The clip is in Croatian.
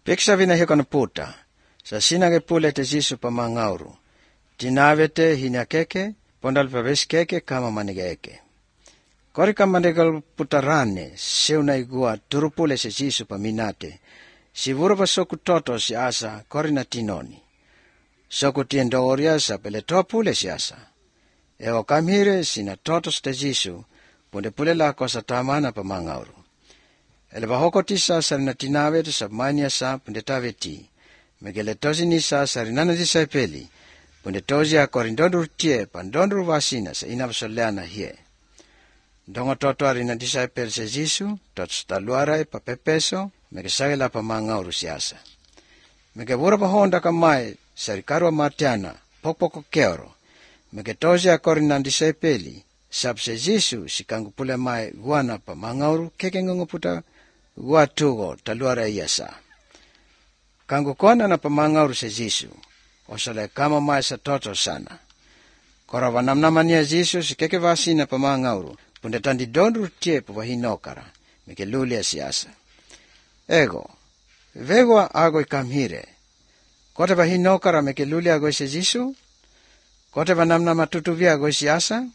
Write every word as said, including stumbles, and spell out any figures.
Piksa vina hikona puta, sa sinage pule te Jisu pa mangauru. Tinavete hinyakeke, pondal paveskeke kama manigeke. Korika manigal putarane, seuna igua turupule se Jisu pa minate. Si vurava soku toto si asa korina tinoni. Soku tiendoria sa pele topule si asa. Eo kamhire sina toto ste Jisu, punde pule la kosa tamana pa mangauru. Ele bahoko tisa sarina tinavete sa mania sa punde taveti. Megele tozi nisa sarinana disai peli. Punde tozi a korindondur tie pandondur vasina sa inavasoleana hie. Dongo toto arina disai peli se Jisu, tot staluarai pa pepeso, mege sagela pa mangauru siasa. Mege vura pa honda kamai sarikarua martiana, pokpoko keoro. Mege tozi a korinan disai peli, sab se Jisu si kangu pule mai guana pa mangauru keke ngunguputa gua tugo taluara iasa. Kangu kona na pa mangauru se Jisu, osale kama mai sa toto sana. Kora vanamnamania Jisu si keke vasina pa mangauru, punde tandi donru tie pa vahinokara, meke lulia siasa. Ego, vegwa agoi kamhire, kote vahinokara meke lulia agoi se Jisu, kote vanamnama tutuvia agoi siasa,